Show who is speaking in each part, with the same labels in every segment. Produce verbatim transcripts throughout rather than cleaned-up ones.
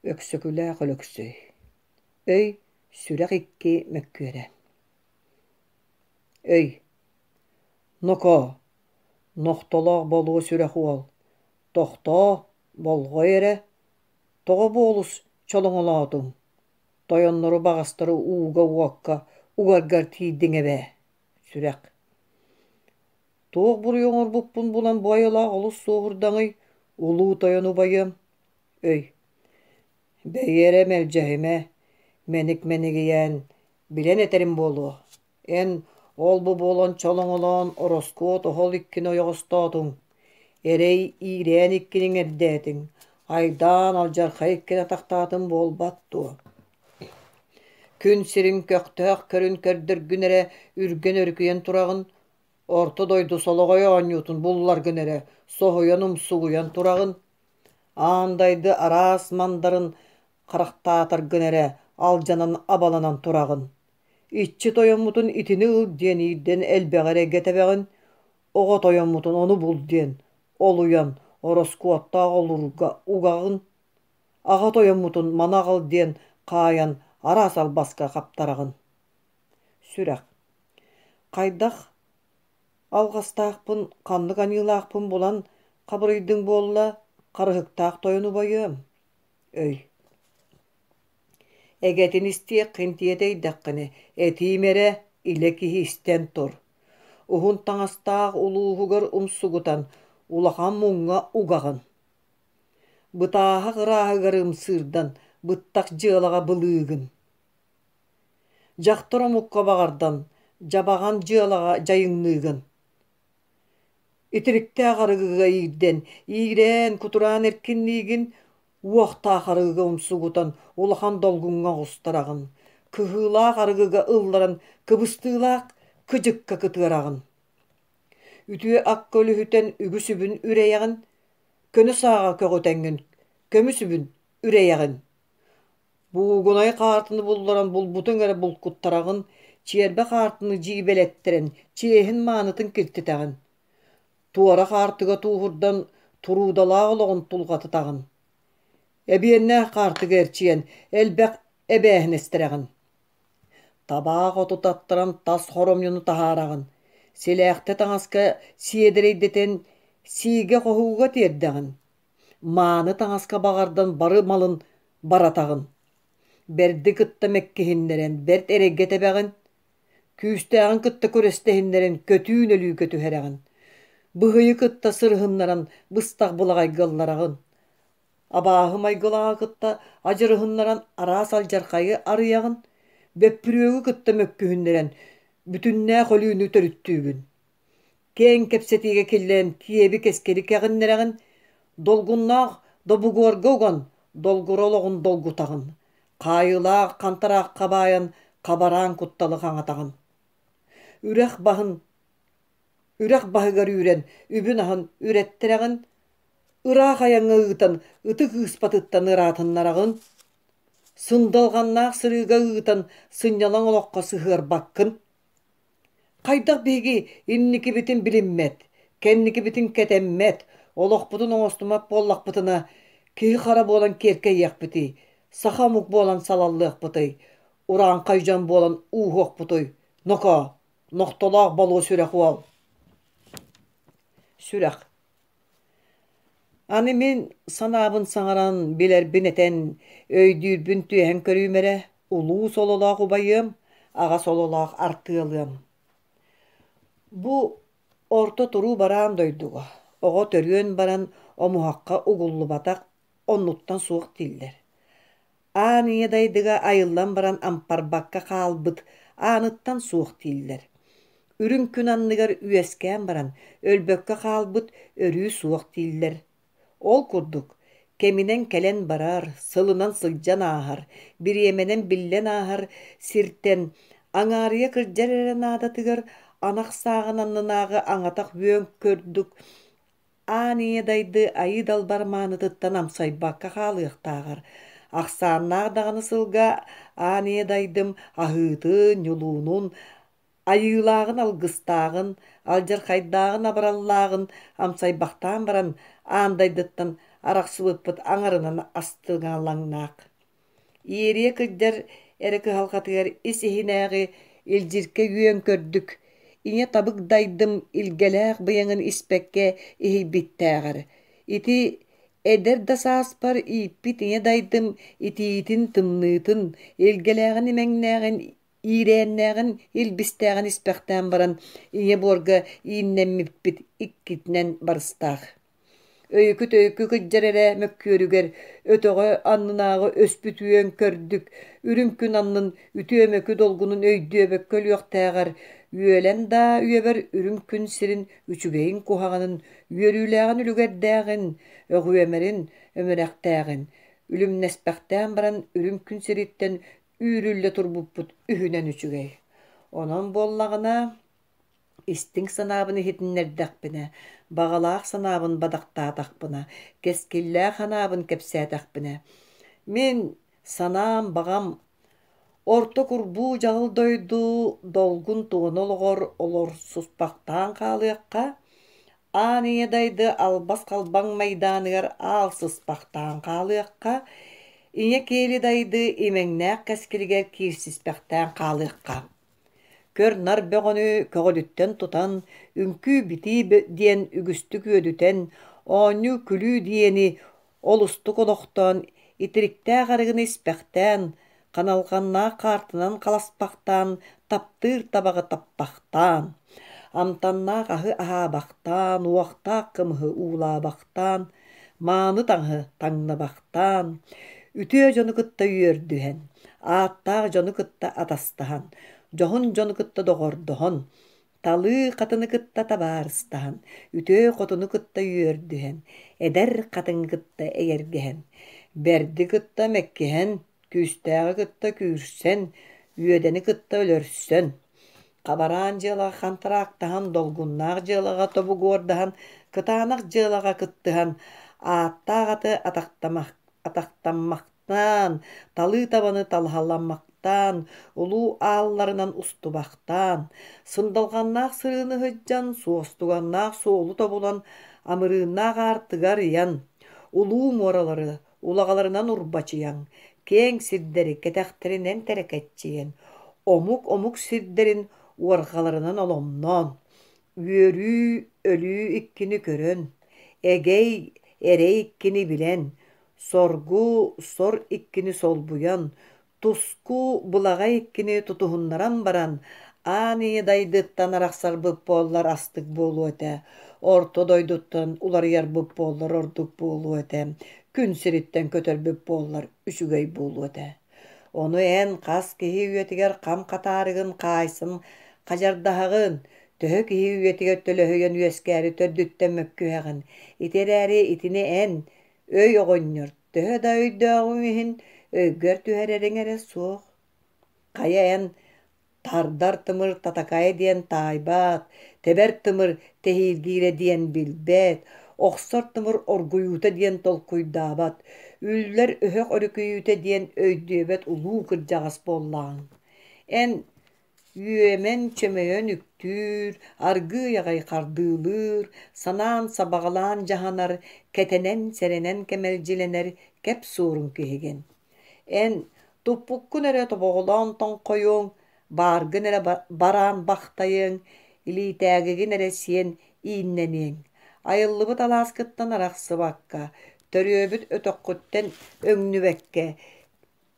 Speaker 1: Өксөкүлээх Өлөксөй Өй, сүрэх икки мөккүөрэ Өй Нокоо, нохтолоох болуо сүрэх уол, тохтоо, болҕой эрэ, тоҕо буолус чолоҥолоотуҥ, тойоннору баҕастары ууга-уокка угаргар тиийдиҥ эбээ, сүрэх Туох буруйу оҥорбуппун булан бу айылаах олус суоһурдаҥый, улуу тойон убайыам Өй Бэйи эрэ мэлдьэһимэ, мэник мэнигийээн, билэн этэрим буолуо. Эн ол-бу буолан чолоҥолоон ороскуот оһол иккини ойоҕостоотуҥ, эрэй иирээн иккини иҥэрдээтиҥ, айдаан алдьархай иккини атахтаатыҥ буолбат дуо? Күн сирин көхтөөх көрүн көрдөргүн эрэ үргэн өрүкүйэн тураҕын, орто дойду солоҕой оонньуутун булларгын эрэ соһуйан умсугуйан тураҕын, аан дайды араас мандарын харахтаатаргын эрэ алдьанан абаланан тураҕын. Иччи тойоммутун итини ыл диэн иирдэн элбэҕи эрэйгэ тэбэҕин, оҕо тойоммутун ону бул диэн олуйан ороскуоттаах олуурга угаҕын, аҕа тойоммутун маны аҕал диэн хаайан араас албаска хаптараҕын. Сүрэх Хайдах алҕастаахпын, ханнык аньыылаахпын булан хабырыйдыҥ буолла, харыһыктаах тойон убайыам Өй Эгэтин истиэххин тиэтэйдэххинэ, этиим эрэ, илэ киһи истэн тур. Уһун таҥастаах улууһугар умсугутан, улахан муҥҥа угаҕын. Бытааһах ырааһыгар ымсыырдан, быттах дьыалаҕа былыыгын. Дьахтар омукка баҕардан, дьабаҕан дьыалаҕа дьайыҥныыгын. Итириктээх арыгыга иирдэн, иирээн, кутураан эркинниигин, уохтаах арыгыга умсугутан улахан долгуҥҥа оҕустараҕын, кыһыылаах арыгыга ылларан кыбыстыылаах кыдьыкка кытыараҕын. Үтүө акка үлүһүтэн үгүс үбүн үрэйэҕин, көнө сааҕа көҕүтэҥҥин көмүс үбүн үрэйэҕин. Буугунай хаартыны булларан булбутуҥ эрэ булкуттараҕын, чиэрбэ хаартыны дьиибэлэттэрэн чиэһин маанытын киртитэҕин. Туора хаартыга тууһурдан туруудалаах олоҕун тулҕатытаҕын. Эбиэннээх хаартыга эрчийэн элбэх эбээһинэстэрэҕин. Табаах оту таттаран тас хоромньуну таһаараҕын. Силээхтэ таҥаска сиэдэрэйдэтэн сиигэ-хоһууга тиэрдэҕин. Мааны таҥаска баҕардан бары малын баратаҕын. Бэрди кытта мэккиһиннэрэн бэрт эрэйгэ тэбэҕин. Күүстээҕин кытта күрэстэһиннэрэн көтүүн өлүүгэ түһэрэҕин. Быһыйы кытта сырыһыннаран быстах былаҕайга ыллараҕын. Абааһы майгылааҕы кытта адьырыһыннаран араас алдьархайы арыйаҕын, бөппүрүөгү кытта мөккүһүннэрэн бүтүннээх өлүүнү төрүттүүгүн. Киэҥ кэпсэтиигэ киллэрэн киэби кэскили кэҕиннэрэҕин, долгуннаах добугуорга уган долгура олоҕун долгутаҕын, хаайыылаах хантараахха баайан хабараан кутталы хаҥатаҕын. Үрэх баһын үрэх баһыгар үүрэн үбүн-аһын үрэттэрэҕин, ыраах айаҥҥа ыытан ытык ыыспатыттан ыраатыннараҕын, сындалҕаннаах сырыыга ыытан сынньалаҥ олоххо сыһыарбаккын. Хайдах биһиги инникибитин билиммэт, кэнникибитин кэтэммэт, олохпутун оҥостуммат буоллахпытына, киһи-хара буолан киэркэйиэхпитий, саха омук буолан салаллыахпытый, урааҥхай дьон буолан ууһуохпутуй, нокоо, нохтолоох болуо сүрэх уол. Сүрэх Аны мин санаабын саҥаран, билэрбин этэн, өйдүүрбүн түөһэн көрүүм эрэ, улуу сололоох убайыам, аҕа сололоох артыалыам. Бу орто туруу бараан дойдуга оҕо төрүөн баран омуһахха угуллубатах оннуттан суох дииллэр. Аан ийэ дайдыга айыллан баран ампарбакка хаалбыт ааныттан суох дииллэр. Үрүҥ күн анныгар үөскээн баран өлбөккө хаалбыт өрүү суох дииллэр. Ол курдук, кэминэн кэлэн барар, сылынан сылдьан ааһар, бириэмэнэн биллэн ааһар сиртэн аҥаарыйа кырдьар эрэ наадатыгар анах сааҕын аннынааҕы аҥатах үөн көрдүк аан ийэ дайды айыы далбар маанытыттан амсайбакка хаалыахтааҕар, ахсааннаах даҕаны сылга аан ийэ дайдым аһыытын, ньулуунун, айыылааҕын алгыстааҕын, алдьархайдааҕын абыраллааҕын амсайбахтаан баран аан дайдыттан арахсыбыппыт аҥарынан астыҥалаҥнаах. Иэрийэ кырдьар эрэ кыһалҕатыгар ис иһинээҕи илдьиркэй үөн көрдүк, ийэ табык дайдым илгэлээх быйаҥын испэккэ иһийбиттээҕэр, ити эдэр да сааспар ииппит ийэ дайдым итиитин, тымныытын, илгэлээҕин имэҥнээҕин, иирээннээҕин илбистээҕин испэхтээн баран ийэ буорга ииннэммиппит иккитинэн барыстаах. Өйүкү-төйүкү кыдьар эрэ мөккүөрүгэр өтөҕө аннынааҕы өспүт үөн көрдүк, үрүҥ күн аннын үтүө-мөкү долгунун өйдүөбэккэ өлүөхтээҕэр, үөлэн да үйэбэр үрүҥ күн сирин үчүгэйин-куһаҕанын, үөрүүлээҕин үлүгэрдээҕин, өҕүөмэрин өмүрэхтээҕин, үлүмнэспэхтээн баран үрүҥ күн сириттэн үүрүллэ турбуппут үһүнэн үчүгэй. Онон буоллаҕына, истиҥ санаабын иһитиннэрдэхпинэ, баҕалаах санаабын бадахтаатахпына, кэскиллээх анаабын кэпсээтэхпинэ, мин санаам баҕам орто курбуу дьаҕыл дойду долгун туона олоҕор олорсуспахтаан хаалыахха, аан ийэ дайды албас халбаҥ майдааныгар аал сыспахтаан хаалыахха, ийэ киэли дайды имэҥнээх кэскилигэр киирсиспэхтээн хаалыахха. Көр-нар бөҕөнү көҕүлүттэн тутан, үҥкүү-битии диэн үгүстүк үөдүтэн, оонньуу-күлүү диэни олустук олохтоон, итириктээх арыгыны испэхтээн, ханалҕаннаах хаартынан халаспахтаан, таптыыр табаҕы таппахтаан, амтаннаах аһы аһаабахтаан, уохтаах кымыһы уулаабахтаан, мааны таҥаһы таҥнабахтаан, үтүө дьону кытта үөрдүһэн, ааттаах дьону кытта атастаһан, дьоһун дьону кытта доҕордоһон, талыы хатыны кытта табаарыстаһан, үтүө хотуну кытта үөрдүһэн, эдэр хатыҥы кытта эйэргэһэн, бэрди кытта мэккиһэн, күүстээҕи кытта күүрсэн, үөдэни кытта өлөрсөн, хабараан дьыалаҕа хантараактаһан, долгуннаах дьыалаҕа тобугуордаһан, кытаанах дьыалаҕа кыттыһан, ааттаах аты атахтамах, атахтаммахтаан, талыы табаны талаһаламмахтаан, улуу аалларынан устубахтаан, сындалҕаннаах сырыыны сылдьан, суостуганнаах суолу тобулан, амырыыннаах аартыгар ыйан, улуу муоралары улаҕаларынан урбачыйан, киэҥ сирдэри кэтэхтэринэн тэрэкэччийэн, омук-омук сирдэрин уорҕаларынан оломноон, үөрүү, өлүү иккини көрөн, эгэй, эрэй иккини билэн, соргу, сор иккини солбуйан, туску, былаҕай иккини тутуһуннаран баран, аан ийэ дайдыттан арахсарбыт буоллар астык буолуо этэ, орто дойдуттан уларыйарбыт буоллар ордук буолуо этэ, күн сириттэн көтөрбүт буоллар үчүгэй буолуо этэ. Ону эн хас киһи үйэтигэр хам хатаарыгын хаайсын хадьардаһаҕын, төһө киһи үйэтигэр төлөһүйэн үөскээри төрдүттэн мөккүһэҕин. Ити эрээри итини эн, өй оҕонньор, төһө да өйдөөҕүҥ иһин өйгөр түһэрэриҥ эрэ суох. Хайа эн тардар тымыр татакайа диэн таайбат, тэбэр тымыр тэһииргиирэ диэн билбэт, охсор тымыр оргуйуута диэн толкуйдаабат, үллэр өһөх өрүкүйүүтэ диэн өйдүөбэт улуу кырдьаҕас буоллаҕыҥ. Эн үөмэн-чөмөйөн үктүүр, аргыый аҕай хардыылыыр, санаан сабаҕалаан дьаһанар, кэтэнэн-сэрэнэн кэмэлдьилэнэр кэп суорун киһигин. Эн туппуккун эрэ тобоҕолоон тоҥхойуоҥ, бааргын эрэ бараан бахтайыаҥ, илиитээгигин эрэ сиэн ииннэниэҥ. Айыллыбыт алааскыттан арахсыбакка, төрүөбүт өтөххүттэн өҥнүбэккэ,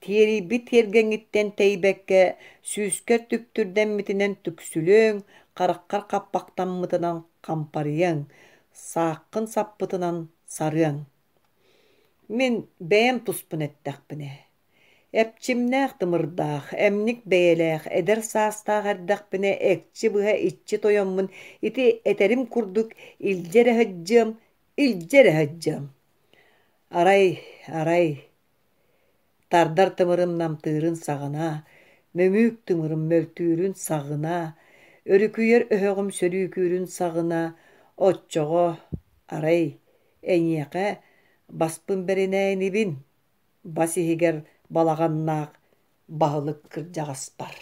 Speaker 1: тиэрийбит тиэргэҥҥиттэн тэйбэккэ, сүүскэр түптүрдэммитинэн түксүлүөҥ, хараххар хаппахтаммытынан хампарыйыаҥ, сааххын саппытынан сарыаҥ. Мин бэйэм туспун эттэхпинэ, эпчимнээх тымырдаах, эмник бэйэлээх, эдэр саастаах эрдэхпинэ экчи быһа иччи тойоммун ити этэрим курдук илдьэ эрэ сылдьыам, илдьэ эрэ сылдьыам. Арай, арай, тардар тымырым намтыырын саҕана, мөҥүүк тымырым мөлтүүрүн саҕына, өрүкүйэр өһөҕүм сөрүүкүүрүн саҕына, оччоҕо, арай, эйиэхэ баспын бэринээ инибин, бас иһигэр балаҕаннаах баһылык кырдьаҕаспар.